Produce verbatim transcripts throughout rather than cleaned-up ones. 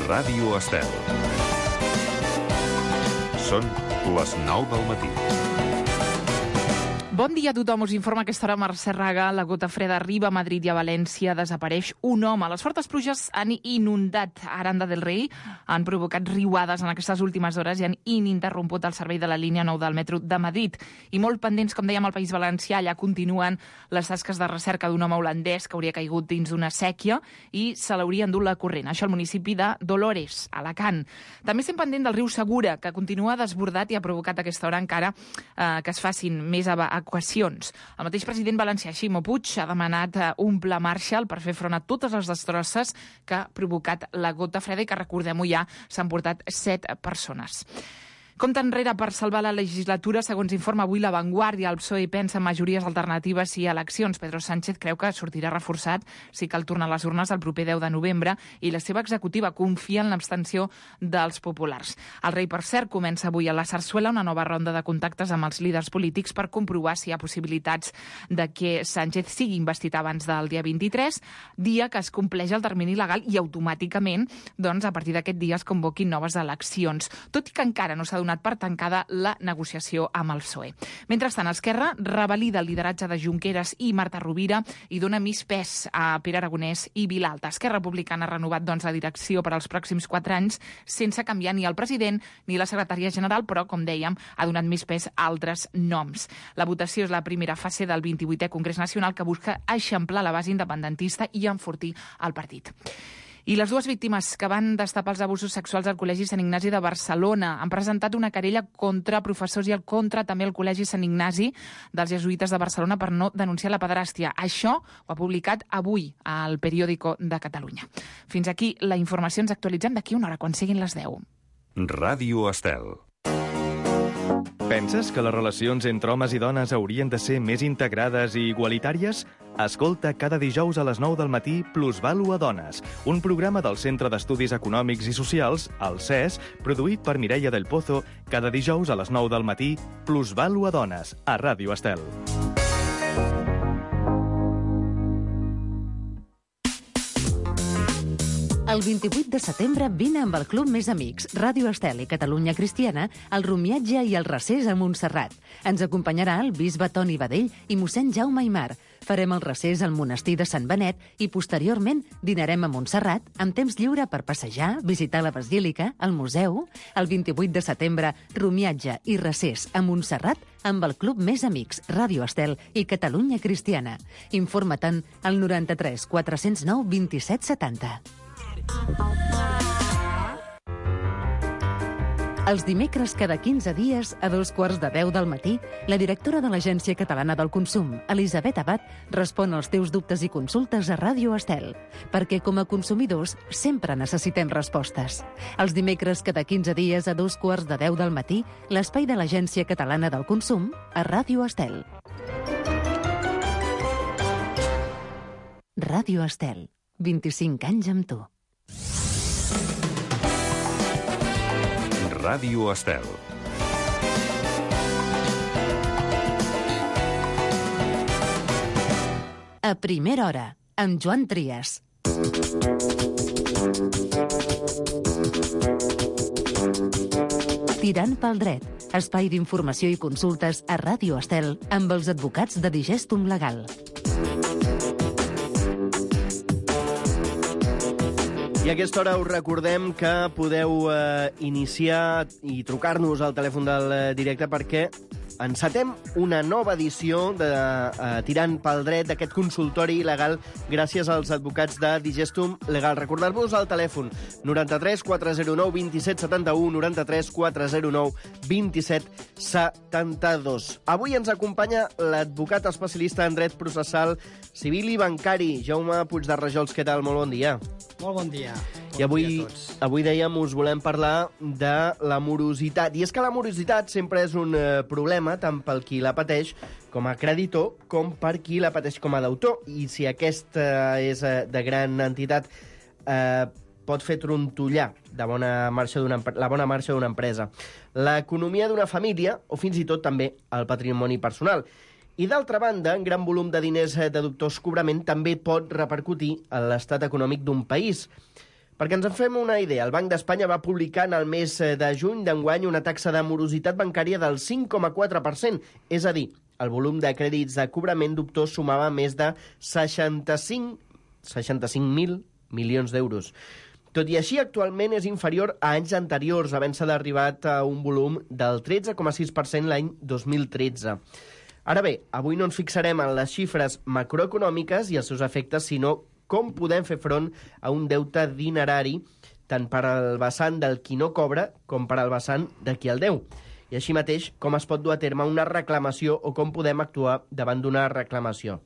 Ràdio Estel. Són les nou del matí. Bon dia a tothom. Us informa a aquesta hora Mercè Raga. La gota freda arriba a Madrid i a València. Desapareix un home. Les fortes pluges han inundat Aranda del Rei, han provocat riuades en aquestes últimes hores i han ininterromput el servei de la línia nou del metro de Madrid. I molt pendents, com dèiem, al País Valencià. Allà continuen les tasques de recerca d'un home holandès que hauria caigut dins d'una sèquia i se l'hauria endut la corrent. Això al municipi de Dolores, Alacant. També estem pendent del riu Segura, que continua desbordat i ha provocat a aquesta hora encara eh, que es facin més evacuacions. El mateix president valencià, Ximo Puig, ha demanat un pla Marshall per fer front a totes les destrosses que ha provocat la gota freda i que, recordem-ho ja, s'han portat set persones. Compte enrere per salvar la legislatura, segons informa avui La Vanguardia. El P S O E pensa en majories alternatives i eleccions. Pedro Sánchez creu que sortirà reforçat si cal tornar a les urnes el proper deu de novembre i la seva executiva confia en l'abstenció dels populars. El rei, per cert, comença avui a la Sarsuela una nova ronda de contactes amb els líders polítics per comprovar si hi ha possibilitats de que Sánchez sigui investit abans del dia vint-i-tres, dia que es compleix el termini legal i automàticament, doncs, a partir d'aquest dia es convoquin noves eleccions, tot i que encara no s'ha donat per tancada la negociació amb el P S O E. Mentrestant, Esquerra revalida el lideratge de Junqueras i Marta Rovira i dona més pes a Pere Aragonès i Vilalta. Esquerra Republicana ha renovat doncs, la direcció per als pròxims quatre anys sense canviar ni el president ni la secretària general, però, com dèiem, ha donat més pes a altres noms. La votació és la primera fase del vint-i-vuitè Congrés Nacional que busca eixamplar la base independentista i enfortir el partit. I les dues víctimes que van destapar els abusos sexuals al Col·legi Sant Ignasi de Barcelona han presentat una querella contra professors i el contra també el Col·legi Sant Ignasi dels Jesuïtes de Barcelona per no denunciar la pederàstia. Això ho ha publicat avui al Periódico de Catalunya. Fins aquí la informació. Ens actualitzem d'aquí una hora, quan siguin les deu. Ràdio Estel. Penses que les relacions entre homes i dones haurien de ser més integrades i igualitàries? Escolta cada dijous a les nou del matí Plusvàlua Dones, un programa del Centre d'Estudis Econòmics i Socials, el C E S, produït per Mireia del Pozo, cada dijous a les nou del matí Plusvàlua Dones, a Ràdio Estel. El vint-i-vuit de setembre vine amb el Club Més Amics, Ràdio Estel i Catalunya Cristiana, al Romiatge i el Recés a Montserrat. Ens acompanyarà el bisbe Toni Badell i mossèn Jaume Aimar. Farem el recés al monestir de Sant Benet i, posteriorment, dinarem a Montserrat amb temps lliure per passejar, visitar la basílica, el museu. El vint-i-vuit de setembre, Romiatge i Recés a Montserrat amb el Club Més Amics, Ràdio Estel i Catalunya Cristiana. Informa-te'n al noranta-tres quatre cents nou vint-i-set setanta. Els dimecres cada quinze dies, a dos quarts de deu del matí, la directora de l'Agència Catalana del Consum, Elisabet Abad, respon als teus dubtes i consultes a Ràdio Estel, perquè com a consumidors sempre necessitem respostes. Els dimecres cada quinze dies, a dos quarts de deu del matí, l'espai de l'Agència Catalana del Consum a Ràdio Estel. Ràdio Estel, vint-i-cinc anys amb tu. Ràdio Estel. A primera hora, amb Joan Trias. Tirant pel dret, espai d'informació i consultes a Ràdio Estel amb els advocats de Digestum Legal. I a aquesta hora us recordem que podeu eh, iniciar i trucar-nos al telèfon del eh, directe perquè encetem una nova edició de eh, Tirant pel dret, d'aquest consultori legal gràcies als advocats de Digestum Legal. Recordar-vos el telèfon noranta-tres quatre zero nou dos set set u, noranta-tres quatre zero nou dos set set dos. Avui ens acompanya l'advocat especialista en dret processal civil i bancari, Jaume Puig de Rajols. Què tal? Molt bon dia. Molt bon dia. I avui, dia a tots. avui dèiem, us volem parlar de la morositat. I és que la morositat sempre és un eh, problema, tant pel qui la pateix com a creditor, com per qui la pateix com a deutor. I si aquesta és eh, de gran entitat, eh, pot fer trontollar de bona marxa d'una, la bona marxa d'una empresa, l'economia d'una família o fins i tot també el patrimoni personal. I d'altra banda, un gran volum de diners de dubtós cobrament també pot repercutir en l'estat econòmic d'un país. Perquè ens en fem una idea, el Banc d'Espanya va publicar en el mes de juny d'enguany una taxa de morositat bancària del cinc coma quatre per cent, és a dir, el volum de crèdits de cobrament dubtós sumava més de seixanta-cinc mil milions d'euros. Tot i així, actualment és inferior a anys anteriors, havent-se arribat a un volum del tretze coma sis per cent l'any dos mil tretze. Ara bé, avui no ens fixarem en les xifres macroeconòmiques i els seus efectes, sinó com podem fer front a un deute dinerari tant per al vessant del qui no cobra com per al vessant de qui el deu. I així mateix, com es pot dur a terme una reclamació o com podem actuar davant d'una reclamació.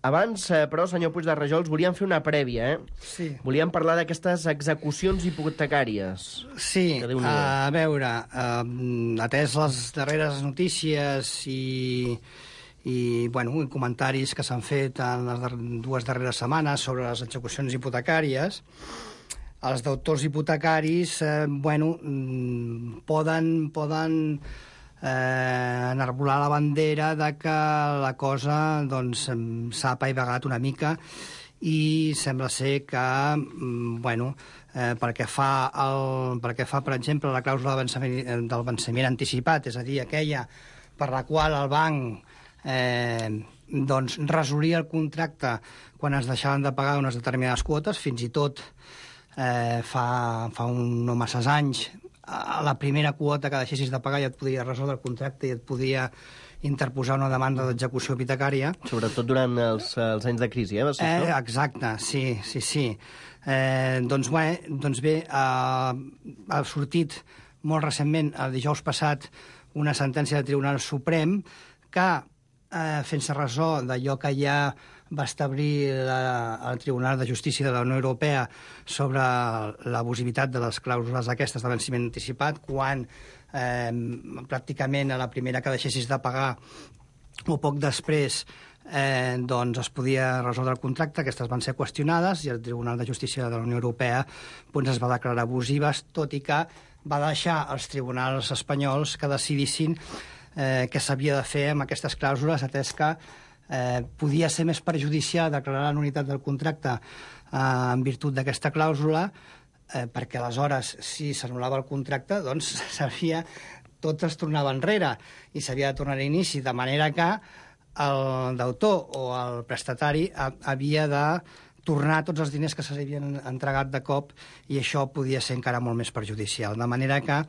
Abans, però, senyor Puig de Rajols, volíem fer una prèvia, eh? Sí. Volíem parlar d'aquestes execucions hipotecàries. Sí, a veure, eh, atès les darreres notícies i, i bueno, comentaris que s'han fet en les dues darreres setmanes sobre les execucions hipotecàries, els deutors hipotecaris eh, bueno, poden... poden Eh, enarbolar la bandera de que la cosa doncs, s'ha apaivagat una mica i sembla ser que bueno, eh, pel que fa, el, pel que fa per exemple, la clàusula del venciment, del venciment anticipat, és a dir, aquella per la qual el banc eh, doncs, resolia el contracte quan es deixaven de pagar unes determinades quotes, fins i tot eh, fa, fa un no masses anys a la primera quota que deixessis de pagar ja et podia resoldre el contracte i et podia interposar una demanda d'execució hipotecària. Sobretot durant els, els anys de crisi, eh? Va ser eh això? Exacte, sí, sí, sí. Eh, doncs, bé, doncs bé, eh, ha sortit molt recentment, el dijous passat, una sentència del Tribunal Suprem que, eh, fent-se ressò d'allò que ja va establir la, el Tribunal de Justícia de la Unió Europea sobre l'abusivitat de les clàusules aquestes de venciment anticipat, quan eh, pràcticament a la primera que deixessis de pagar o poc després eh, doncs es podia resoldre el contracte, aquestes van ser qüestionades i el Tribunal de Justícia de la Unió Europea doncs, es va declarar abusives, tot i que va deixar als tribunals espanyols que decidissin eh, què s'havia de fer amb aquestes clàusules, atès que Eh, podia ser més perjudicial declarar la nul·litat del contracte eh, en virtut d'aquesta clàusula, eh, perquè aleshores, si s'anul·lava el contracte, doncs s'havia, tot es tornava enrere i s'havia de tornar a inici, de manera que el deutor o el prestatari ha, havia de tornar tots els diners que s'havien entregat de cop i això podia ser encara molt més perjudicial. De manera que,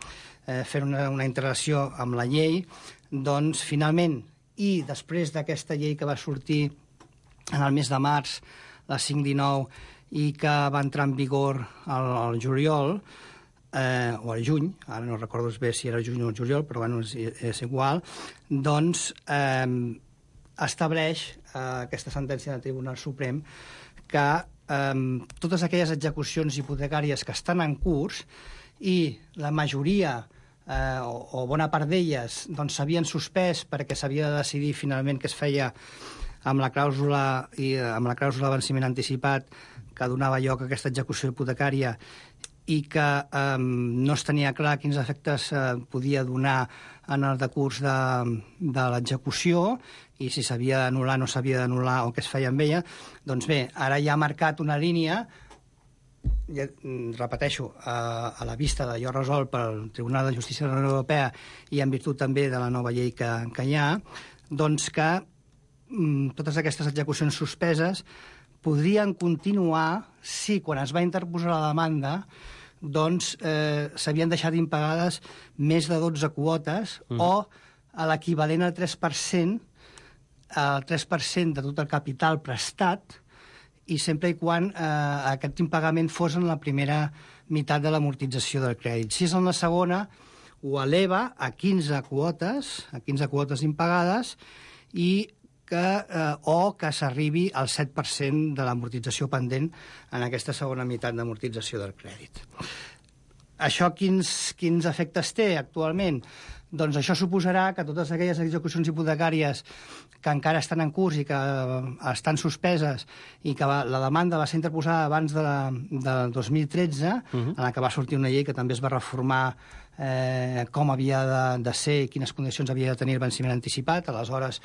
eh, fent una, una integració amb la llei, doncs, finalment, i després d'aquesta llei que va sortir en el mes de març, la cinc dinou, i que va entrar en vigor al, al juliol, eh, o al juny, ara no recordo bé si era juny o juliol, però bueno, és, és igual, doncs eh, estableix eh, aquesta sentència del Tribunal Suprem que eh, totes aquelles execucions hipotecàries que estan en curs i la majoria Eh, o, o bona part d'elles doncs, s'havien suspès perquè s'havia de decidir finalment què es feia amb la clàusula i amb la clàusula de venciment anticipat que donava lloc a aquesta execució hipotecària i que eh, no es tenia clar quins efectes eh, podia donar en el decurs de, de l'execució i si s'havia d'anul·lar o no s'havia d'anul·lar o què es feia amb ella, doncs bé, ara ja ha marcat una línia, ja, repeteixo, a, a la vista d'allò resolt pel Tribunal de Justícia de la Unió Europea i en virtut també de la nova llei que, que hi ha, doncs que mm, totes aquestes execucions suspeses podrien continuar si, quan es va interposar la demanda, doncs eh, s'havien deixat impagades més de dotze quotes mm. o a l'equivalent al tres per cent, al tres per cent de tot el capital prestat, i sempre i quan eh, aquest impagament fos en la primera meitat de l'amortització del crèdit. Si és en la segona, ho eleva a quinze quotes, a quinze quotes impagades, i que, eh, o que s'arribi al set per cent de l'amortització pendent en aquesta segona meitat d'amortització del crèdit. Això quins, quins efectes té actualment? Doncs això suposarà que totes aquelles execucions hipotecàries que encara estan en curs i que estan suspeses i que va, la demanda va ser interposada abans de, la, del dos mil tretze, uh-huh. en la que va sortir una llei que també es va reformar eh, com havia de, de ser i quines condicions havia de tenir el venciment anticipat. Aleshores,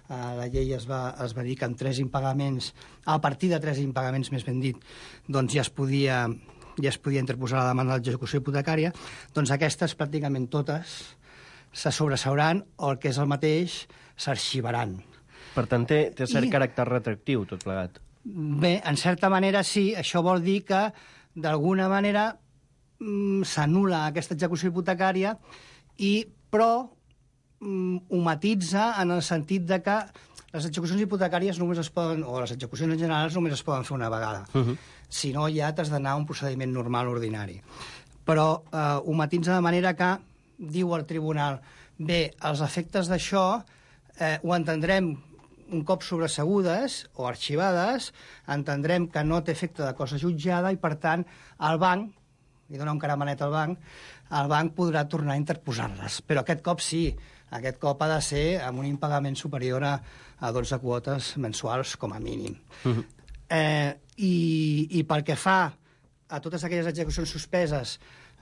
eh, la llei es va, es va dir que amb tres impagaments, a partir de tres impagaments, més ben dit, doncs ja es podia ja es podia interposar la demanda d'execució hipotecària, doncs aquestes pràcticament totes se sobreseuran o el que és el mateix s'arxivaran. Per tant, té, té cert I... caràcter retractiu, tot plegat. Bé, en certa manera sí, això vol dir que d'alguna manera mm, s'anul·la aquesta execució hipotecària, i, però mm, ho matitza en el sentit de que les execucions hipotecàries només es poden, o les execucions en general només es poden fer una vegada. Uh-huh. Si no, ja t'has d'anar a un procediment normal ordinari. Però eh, ho matitza de manera que, diu el tribunal, bé, els efectes d'això eh, ho entendrem un cop sobresegudes o arxivades, entendrem que no té efecte de cosa jutjada i, per tant, el banc, li dona un caramanet al banc, el banc podrà tornar a interposar-les. Però aquest cop sí, aquest cop ha de ser amb un impagament superior a, a dotze quotes mensuals com a mínim. Uh-huh. eh, i, I pel que fa a totes aquelles execucions suspeses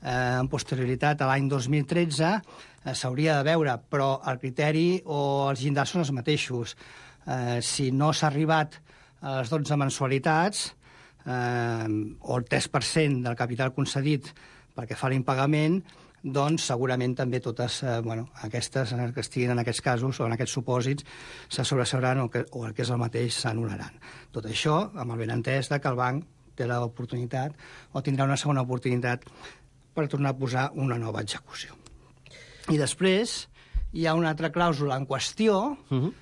eh, en posterioritat a l'any dos mil tretze, eh, s'hauria de veure, però el criteri o els llindars són els mateixos. Eh, si no s'ha arribat a les dotze mensualitats, eh, o el tres per cent del capital concedit perquè fa l'impagament, doncs segurament també totes eh, bueno, aquestes que estiguin en aquests casos o en aquests supòsits se sobreseuran o, que, o el que és el mateix s'anul·laran. Tot això amb el benentès de que el banc té l'oportunitat o tindrà una segona oportunitat per tornar a posar una nova execució. I després hi ha una altra clàusula en qüestió, uh-huh.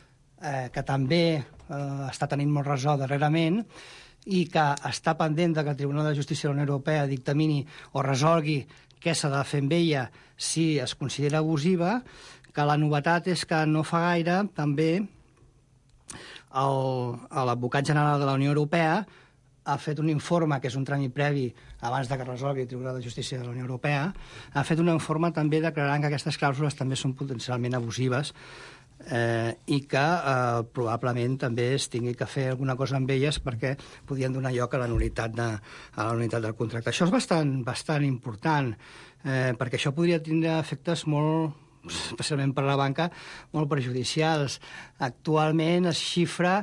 eh, que també eh, està tenint molt ressò darrerament i que està pendent de que el Tribunal de Justícia de la Unió Europea dictamini o resolgui què s'ha de fer amb ella si es considera abusiva, que la novetat és que no fa gaire també l'advocat general de la Unió Europea ha fet un informe, que és un tràmit previ abans de que resolgui el Tribunal de Justícia de la Unió Europea, ha fet un informe també declarant que aquestes clàusules també són potencialment abusives eh, i que eh, probablement també es tingui que fer alguna cosa amb elles perquè podien donar lloc a la nul·litat, de, a la nul·litat del contracte. Això és bastant, bastant important, eh, perquè això podria tindre efectes molt, especialment per a la banca, molt perjudicials. Actualment es xifra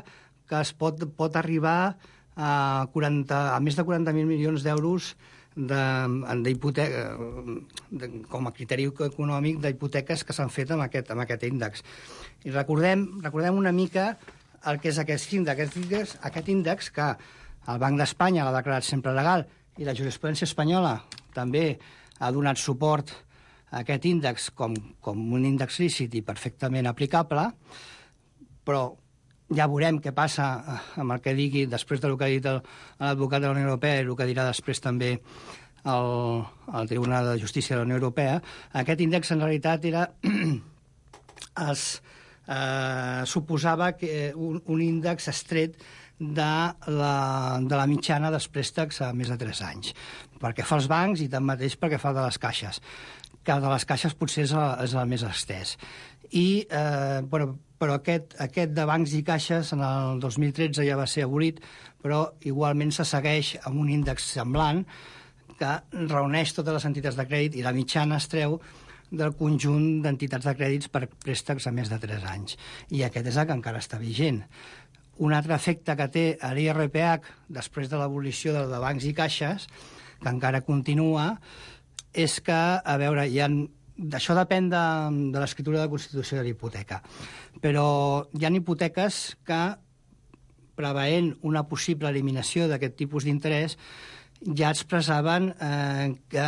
que es pot, pot arribar a, quaranta, a més de quaranta mil milions d'euros de, de, com a criteri econòmic d'hipoteques que s'han fet amb aquest, amb aquest índex. I recordem, recordem una mica el que és aquest índex, aquest índex, aquest índex que el Banc d'Espanya l'ha declarat sempre legal i la jurisprudència espanyola també ha donat suport a aquest índex com, com un índex lícit i perfectament aplicable, però ja veurem què passa amb el que digui després del que ha dit l'advocat de la Unió Europea i el que dirà després també el, el Tribunal de Justícia de la Unió Europea. Aquest índex en realitat era es eh, suposava que un, un índex estret de la, de la mitjana dels préstecs a més de tres anys, perquè fa els bancs i tanmateix perquè fa de les caixes, que de les caixes potser és el, és el més estès. I, eh, bueno, però aquest, aquest de bancs i caixes en el dos mil tretze ja va ser abolit, però igualment se segueix amb un índex semblant que reuneix totes les entitats de crèdit i la mitjana es treu del conjunt d'entitats de crèdits per préstecs a més de tres anys. I aquest és el que encara està vigent. Un altre efecte que té l'I R P H després de l'abolició del de bancs i caixes, que encara continua, és que, a veure, hi ha... Això depèn de, de l'escriptura de la Constitució de l'hipoteca, però hi ha hipoteques que, preveient una possible eliminació d'aquest tipus d'interès, ja expressaven eh, que,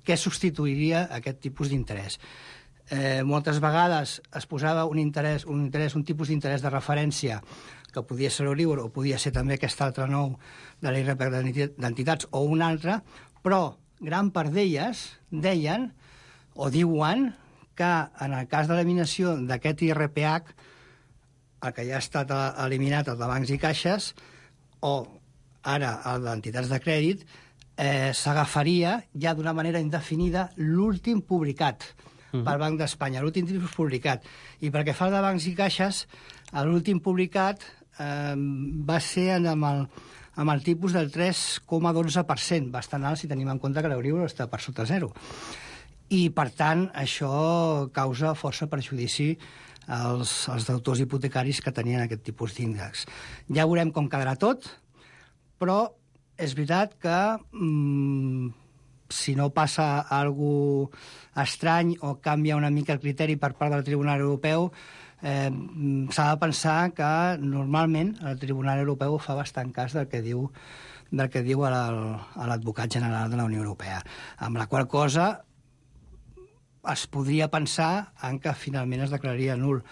què substituiria aquest tipus d'interès. Eh, moltes vegades es posava un interès, un interès, un tipus d'interès de referència que podia ser l'Euribor o podia ser també aquest altre nou de l'I R P H d'entitats o un altre, però gran part d'elles deien o diuen que en el cas de l'eliminació d'aquest I R P H, el que ja ha estat eliminat, el de bancs i caixes, o ara el d'entitats de crèdit, eh, s'agafaria ja d'una manera indefinida l'últim publicat uh-huh. pel Banc d'Espanya, l'últim tipus publicat. I perquè fa de bancs i caixes, l'últim publicat eh, va ser amb el, amb el tipus del tres coma dotze per cent, bastant alt si tenim en compte que l'Euribor està per sota zero. I, per tant, això causa força perjudici als, als deutors hipotecaris que tenien aquest tipus d'índex. Ja veurem com quedarà tot, però és veritat que mm, si no passa alguna cosa estrany o canvia una mica el criteri per part del Tribunal Europeu, eh, s'ha de pensar que normalment el Tribunal Europeu fa bastant cas del que diu del que diu l'advocat general de la Unió Europea, amb la qual cosa es podria pensar en que finalment es declararia nul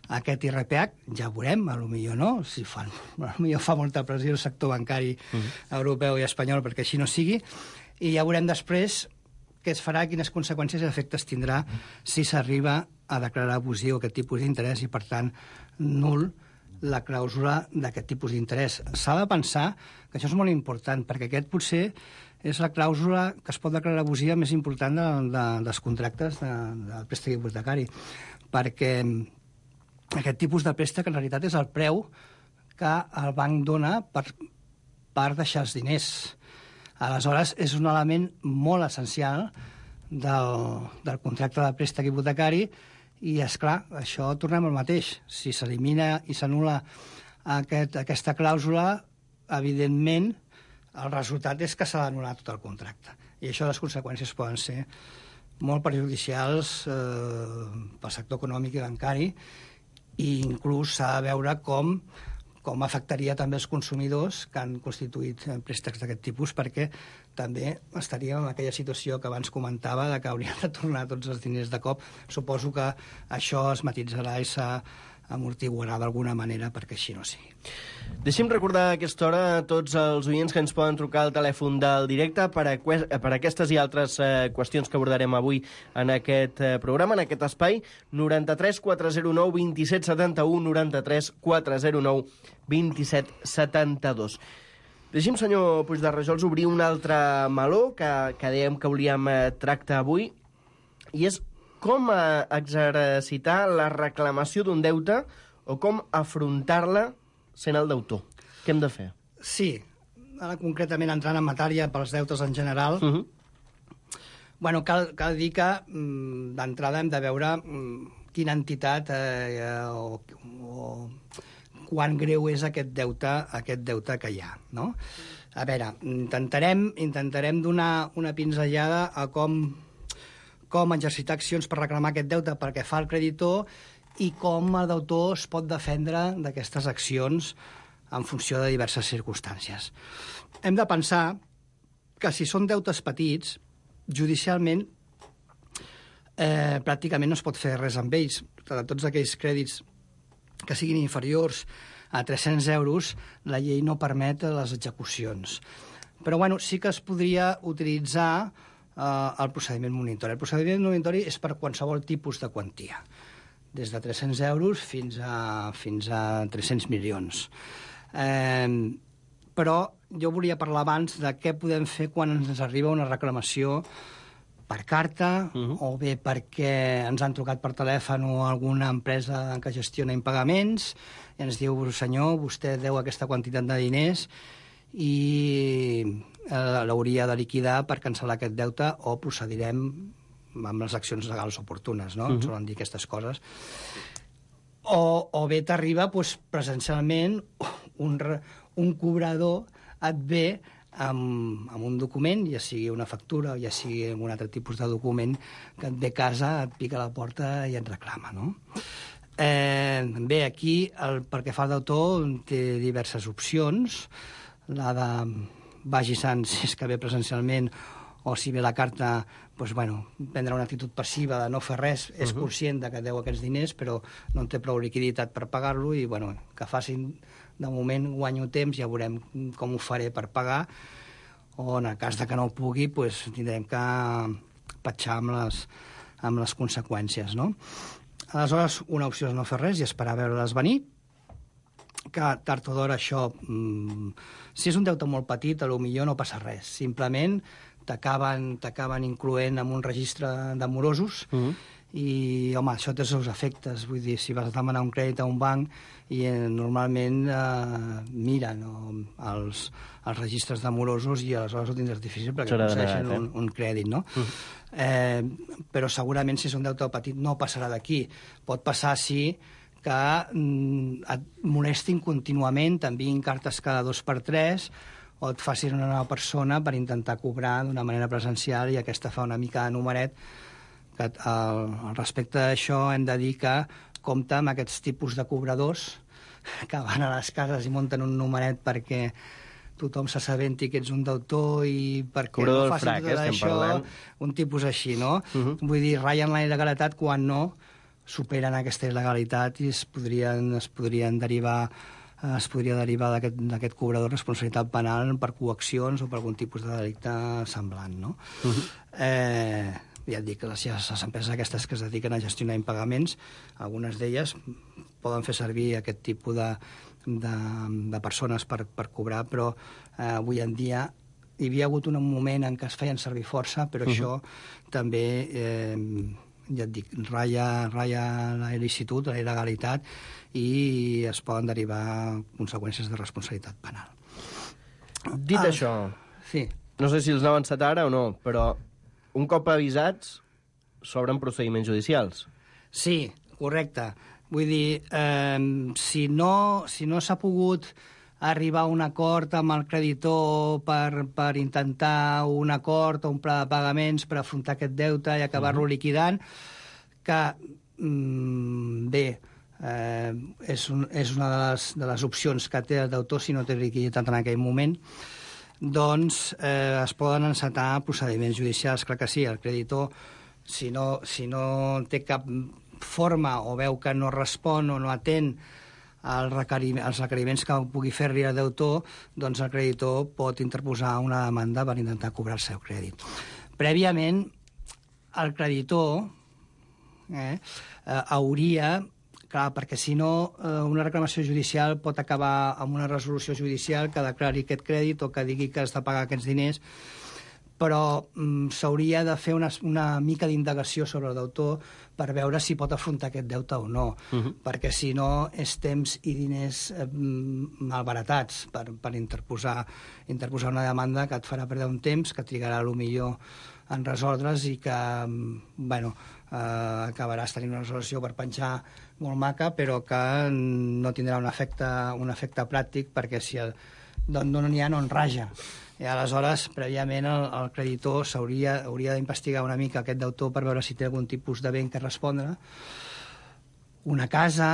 aquest I R P H. Ja veurem, potser no, si fan, potser fa molta pressió el sector bancari uh-huh. europeu i espanyol perquè així no sigui, i ja veurem després què es farà, quines conseqüències i efectes tindrà si s'arriba a declarar abusiu aquest tipus d'interès i, per tant, nul la clàusula d'aquest tipus d'interès. S'ha de pensar que això és molt important, perquè aquest potser és la clàusula que es pot declarar abusiva més important de, de, dels contractes de, del préstec hipotecari, perquè aquest tipus de préstec en realitat és el preu que el banc dona per, per deixar els diners. Aleshores, és un element molt essencial del, del contracte de préstec hipotecari i, és clar, això tornem al mateix. Si s'elimina i s'anul·la aquest, aquesta clàusula, evidentment, el resultat és que s'ha d'anul·lar tot el contracte. I això, les conseqüències poden ser molt perjudicials eh, pel sector econòmic i bancari, i inclús s'ha de veure com, com afectaria també els consumidors que han constituït préstecs d'aquest tipus, perquè també estaríem en aquella situació que abans comentava de que haurien de tornar tots els diners de cop. Suposo que això es matitzarà i s'amortiguarà d'alguna manera perquè així no sigui. Deixi'm recordar a aquesta hora a tots els oients que ens poden trucar al telèfon del directe per a, per a aquestes i altres eh, qüestions que abordarem avui en aquest eh, programa, en aquest espai. noranta-tres quatre zero nou vint set setanta-u, noranta-tres quatre zero nou vint set setanta-dos. Deixi'm, senyor Puigderrajols, obrir un altre meló que, que dèiem que volíem eh, tractar avui, i és com eh, exercitar la reclamació d'un deute o com afrontar-la sent el deutor. Què hem de fer? Sí, ara concretament entrant en matèria pels deutes en general, uh-huh. bueno, cal, cal dir que mm, d'entrada hem de veure mm, quina entitat eh, o, o quan greu és aquest deute, aquest deute que hi ha, no? A veure, intentarem, intentarem donar una pinzellada a com, com exercitar accions per reclamar aquest deute perquè fa el creditor i com el deutor es pot defendre d'aquestes accions en funció de diverses circumstàncies. Hem de pensar que si són deutes petits, judicialment eh, pràcticament no es pot fer res amb ells. De tots aquells crèdits que siguin inferiors a tres-cents euros, la llei no permet les execucions. Però bueno, sí que es podria utilitzar eh, el procediment monitori. El procediment monitori és per qualsevol tipus de quantia, des de tres-cents euros fins a, fins a tres-cents milions. Eh, però jo volia parlar abans de què podem fer quan ens arriba una reclamació per carta, uh-huh. o bé perquè ens han trucat per telèfon o alguna empresa que gestiona impagaments i ens diu, senyor, vostè deu aquesta quantitat de diners i eh, l'hauria de liquidar per cancel·lar aquest deute o procedirem amb les accions legals oportunes, no? Uh-huh. Ens solen dir aquestes coses. O, o bé t'arriba doncs, presencialment un, un cobrador et ve amb, amb un document, ja sigui una factura o ja sigui un altre tipus de document que et ve a casa, et pica a la porta i et reclama, no? Eh, bé, aquí, el, perquè fa el deutor, té diverses opcions. La de vagi sant, si és que ve presencialment, o si ve la carta, doncs, bueno, prendre una actitud passiva de no fer res, és uh-huh. conscient de que deu aquests diners, però no té prou liquiditat per pagar-lo i, bueno, que facin, de moment guanyo temps, ja veurem com ho faré per pagar, o en el cas de que no ho pugui, doncs, tindrem que patxar amb les, amb les conseqüències, no? Aleshores, una opció és no fer res i esperar a veure-les venir, que tard o d'hora això, mmm, si és un deute molt petit, potser no passa res. Simplement t'acaben t'acaben incloent en un registre de morosos uh-huh. i, home, això té els seus efectes. Vull dir, si vas a demanar un crèdit a un banc i eh, normalment eh, miren no, els, els registres de morosos i aleshores ho tindràs difícil perquè aconsegueixen un, un crèdit, no? Uh-huh. Eh, però segurament si és un deute petit no passarà d'aquí. Pot passar, sí, que mm, et molestin contínuament, t'enviïn cartes cada dos per tres o et facin una nova persona per intentar cobrar d'una manera presencial, i aquesta fa una mica de numeret. Que al, al respecte d'això hem de dir que compta amb aquests tipus de cobradors que van a les cases i munten un numeret perquè tothom s'assabenti que ets un deutor i perquè Cobrador no facin frac, tot eh, estem això, parlant. un tipus així, no? Uh-huh. Vull dir, ratllen la il·legalitat quan no superen aquesta il·legalitat i es podrien, es podrien derivar es podria derivar d'aquest d'aquest cobrador responsabilitat penal per coaccions o per algun tipus de delicte semblant, no? Uh-huh. Eh, ja et dic, les, les empreses aquestes que es dediquen a gestionar impagaments, algunes d'elles poden fer servir aquest tipus de, de, de persones per, per cobrar, però eh, avui en dia hi havia hagut un moment en què es feien servir força, però uh-huh. això també, eh, ja et dic, ratlla, ratlla la il·licitud, la il·legalitat, i es poden derivar conseqüències de responsabilitat penal. Dit Ah, això, Sí. no sé si els n'ha avançat ara o no, però un cop avisats s'obren procediments judicials. Sí, correcte. Vull dir, eh, si no, si no s'ha pogut arribar a un acord amb el creditor per, per intentar un acord o un pla de pagaments per afrontar aquest deute i acabar-lo uh-huh. liquidant, que, mm, bé, eh, és, un, és una de les, de les opcions que té el deutor si no té liquiditat en aquell moment, doncs eh, es poden encetar procediments judicials. Clar que sí, el creditor, si no, si no té cap forma o veu que no respon o no atén el requeriment, els requeriments que pugui fer-li el deutor, doncs el creditor pot interposar una demanda per intentar cobrar el seu crèdit. Prèviament, el creditor eh, eh, hauria... Clar, perquè si no, una reclamació judicial pot acabar amb una resolució judicial que declari aquest crèdit o que digui que has de pagar aquests diners, però mm, s'hauria de fer una, una mica d'indagació sobre el deutor per veure si pot afrontar aquest deute o no, uh-huh. perquè si no és temps i diners eh, malbaratats per, per interposar, interposar una demanda que et farà perdre un temps, que trigarà potser en resoldre's i que, bueno, eh, acabaràs tenint una resolució per penjar molt maca, però que no tindrà un efecte, un efecte pràctic, perquè si el, no n'hi ha, no en raja. I aleshores, prèviament, el, el creditor s'hauria hauria d'investigar una mica aquest deutor per veure si té algun tipus de bé que respondre, una casa,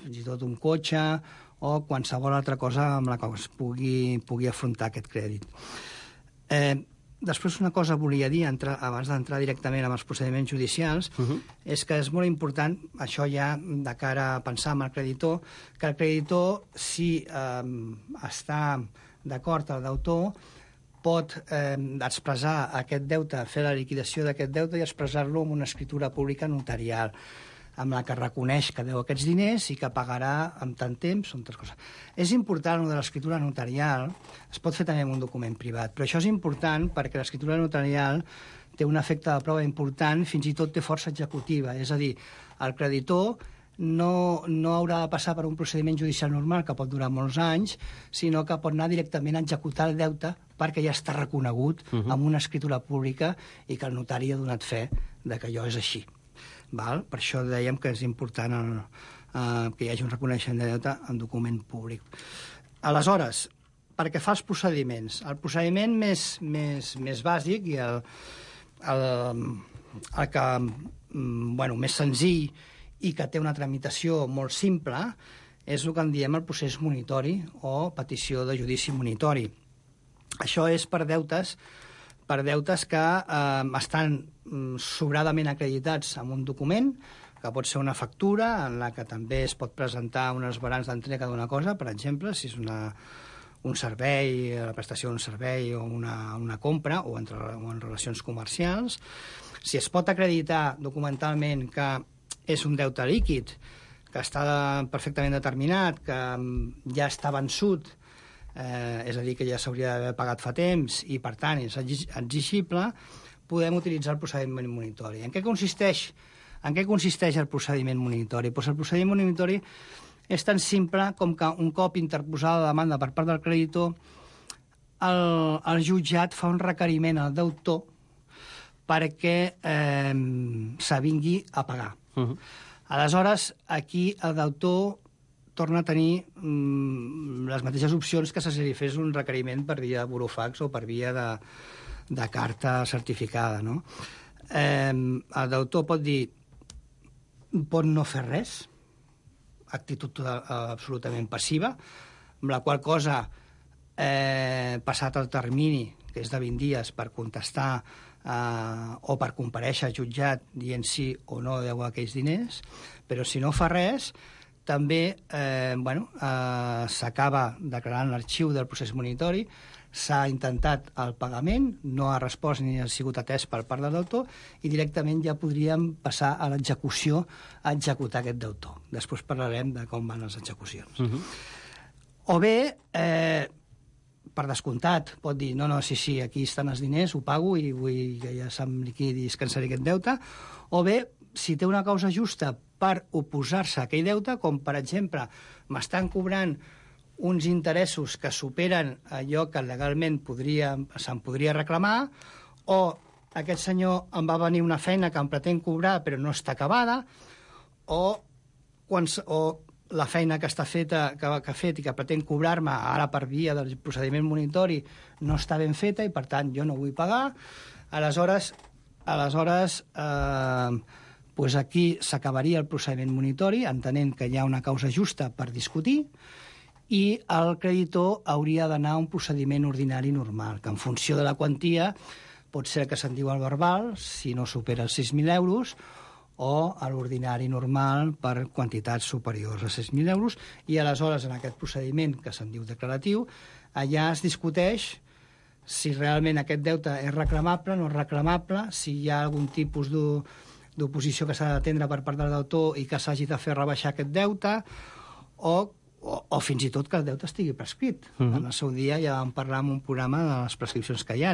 fins i tot un cotxe, o qualsevol altra cosa amb la que es pugui, pugui afrontar aquest crèdit. Eh, Després, una cosa volia dir, entrar, abans d'entrar directament amb els procediments judicials, uh-huh. és que és molt important, això ja de cara a pensar en el creditor, que el creditor, si eh, està d'acord el deutor, pot eh, expressar aquest deute, fer la liquidació d'aquest deute i expressar-lo en una escritura pública notarial, amb la que reconeix que deu aquests diners i que pagarà amb tant temps o altres coses. És important, el de l'escritura notarial, es pot fer també en un document privat, però això és important perquè l'escritura notarial té un efecte de prova important, fins i tot té força executiva, és a dir, el creditor no, no haurà de passar per un procediment judicial normal que pot durar molts anys, sinó que pot anar directament a executar el deute perquè ja està reconegut uh-huh. amb una escritura pública i que el notari ha donat fe de que allò és així. Val? Per això dèiem que és important el, eh, que hi hagi un reconeixement de deute en document públic. Aleshores, perquè fa els procediments, el procediment més, més, més bàsic i el, el, el que bueno, més senzill i que té una tramitació molt simple és el que en diem el procés monitori o petició de judici monitori. Això és per deutes per deutes que eh, estan sobradament acreditats en un document, que pot ser una factura en la que també es pot presentar unes balances d'entrega d'una cosa, per exemple, si és una, un servei, la prestació d'un servei o una, una compra, o, entre, o en relacions comercials. Si es pot acreditar documentalment que és un deute líquid, que està perfectament determinat, que ja està vençut, eh, és a dir, que ja s'hauria d'haver pagat fa temps i, per tant, és exigible, podem utilitzar el procediment monitori. En què consisteix, en què consisteix el procediment monitori? Pues el procediment monitori és tan simple com que un cop interposada la demanda per part del creditor, el, el jutjat fa un requeriment al deutor perquè eh, s'avingui a pagar. Uh-huh. Aleshores, aquí el deutor torna a tenir mm, les mateixes opcions que si li fes un requeriment per via de burofax o per via de, de carta certificada, no? Eh, el deutor pot dir, pot no fer res, actitud total, absolutament passiva, amb la qual cosa, eh, passat el termini, que és de vint dies, per contestar eh, o per comparèixer al jutjat dient sí o no deu aquells diners, però si no fa res, també eh, bueno, eh, s'acaba declarant l'arxiu del procés monitori, s'ha intentat el pagament, no ha respost ni ha sigut atès per part del deutor i directament ja podríem passar a l'execució a executar aquest deutor. Després parlarem de com van les execucions. Uh-huh. O bé, eh, per descomptat, pot dir no, no, sí, sí, aquí estan els diners, ho pago i vull que ja se'm liquidi i es cancel·li aquest deute. O bé, si té una causa justa per oposar-se a aquell deute, com per exemple m'estan cobrant uns interessos que superen allò que legalment podria, se'n podria reclamar, o aquest senyor em va venir una feina que em pretén cobrar però no està acabada, o, quan, o la feina que està feta, que, que ha fet i que pretén cobrar-me ara per via del procediment monitori no està ben feta i, per tant, jo no vull pagar. Aleshores, aleshores eh, pues aquí s'acabaria el procediment monitori, entenent que hi ha una causa justa per discutir, i el creditor hauria d'anar a un procediment ordinari normal, que en funció de la quantia pot ser que se'n diu el verbal, si no supera els sis mil euros, o a l'ordinari normal per quantitats superiors a sis mil euros, i aleshores en aquest procediment que se'n diu declaratiu, allà es discuteix si realment aquest deute és reclamable, no és reclamable, si hi ha algun tipus d'oposició que s'ha d'atendre per part del deutor i que s'hagi de fer rebaixar aquest deute, o O, o fins i tot que el deute estigui prescrit. Uh-huh. En el seu dia ja vam parlar en un programa de les prescripcions que hi ha.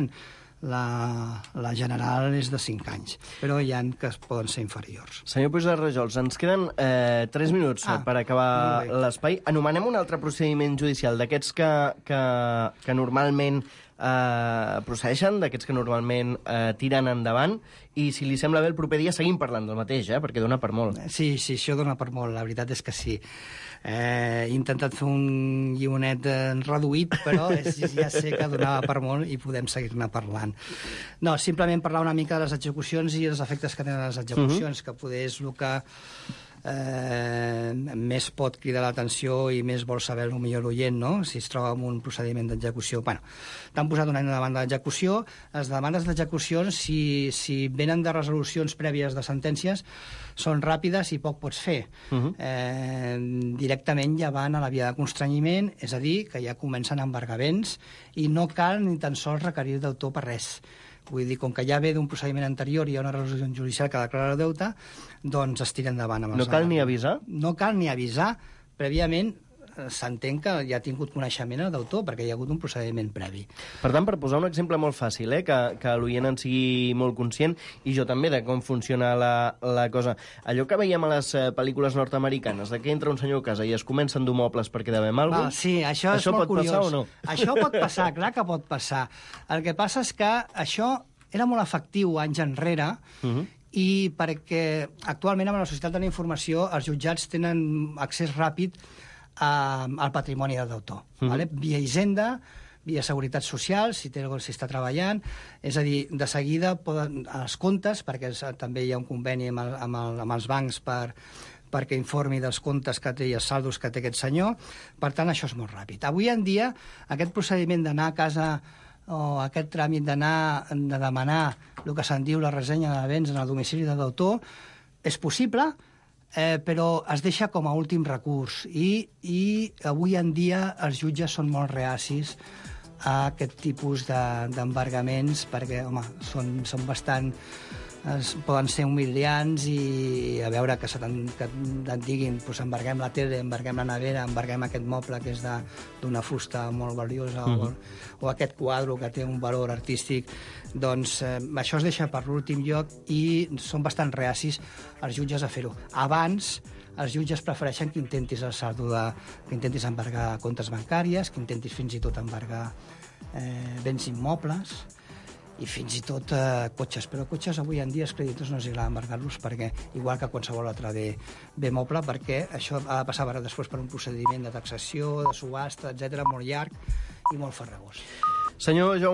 La, la general és de cinc anys, però hi ha que poden ser inferiors. Senyor Puig de Rajols, ens queden eh, tres minuts ah, per acabar l'espai. Anomenem un altre procediment judicial d'aquests que, que, que normalment eh, procedeixen, d'aquests que normalment eh, tiren endavant, i si li sembla bé el proper dia seguim parlant del mateix, eh, perquè dona per molt. Sí, sí, això dona per molt, la veritat és que sí. Eh, he intentat fer un guionet eh, reduït, però és, ja sé que donava per molt i podem seguir-ne parlant. No, simplement parlar una mica de les execucions i els efectes que tenen les execucions, uh-huh. que poder és el que eh, més pot cridar l'atenció i més vol saber el millor l'oient, no? Si es troba en un procediment d'execució. Bueno, t'han posat una demanda d'execució. Les demandes d'execució, si, si venen de resolucions prèvies de sentències, són ràpides i poc pots fer. Uh-huh. eh, directament ja van a la via de constrenyiment, és a dir, que ja comencen embargaments i no cal ni tan sols requerir el deutor per res. Vull dir, com que ja ve d'un procediment anterior i hi ha una resolució judicial que declara el deute, doncs es tira endavant amb els No cal ni avisar? No cal ni avisar. Prèviament s'entén que ja ha tingut coneixement el deutor, perquè hi ha hagut un procediment previ. Per tant, per posar un exemple molt fàcil, eh, que, que l'oient en sigui molt conscient, i jo també, de com funciona la, la cosa. Allò que veiem a les eh, pel·lícules nord-americanes, de que entra un senyor a casa i es comença a endur mobles perquè devem alguna cosa... Sí, això, això és molt pot curiós. Passar o no? Això pot passar, clar que pot passar. El que passa és que això era molt efectiu anys enrere, uh-huh. i perquè actualment amb la societat de la informació els jutjats tenen accés ràpid a, al patrimoni del deutor. Uh-huh. Vale? Via Hisenda, via Seguretat Social, si, té, si està treballant, és a dir, de seguida poden, els comptes, perquè també hi ha un conveni amb, el, amb, el, amb els bancs per, perquè informi dels comptes que té i els saldos que té aquest senyor. Per tant, això és molt ràpid. Avui en dia, aquest procediment d'anar a casa o aquest tràmit d'anar de demanar el que se'n diu la ressenya de béns en el domicili del deutor és possible, eh, però es deixa com a últim recurs i, i avui en dia els jutges són molt reacis a aquest tipus d'embargaments de, perquè, home, són, són bastant... Es, poden ser humiliants i a veure que, que et diguin pues, embarguem la tele, embarguem la nevera, embarguem aquest moble que és d'una fusta molt valiosa mm. o, o aquest quadre que té un valor artístic, doncs eh, això es deixa per l'últim lloc i són bastant reacis els jutges a fer-ho. Abans els jutges prefereixen que intentis el saldo de, que intentis embargar comptes bancàries, que intentis fins i tot embargar eh, béns immobles. i fins i tot eh, cotxes. Però cotxes avui en dia els creditors no els agrada embargar-los perquè, igual que qualsevol altre bé, bé moble, perquè això ha de passar ara després per un procediment de taxació, de subhasta, etcètera, molt llarg i molt farragós. Senyor Jaume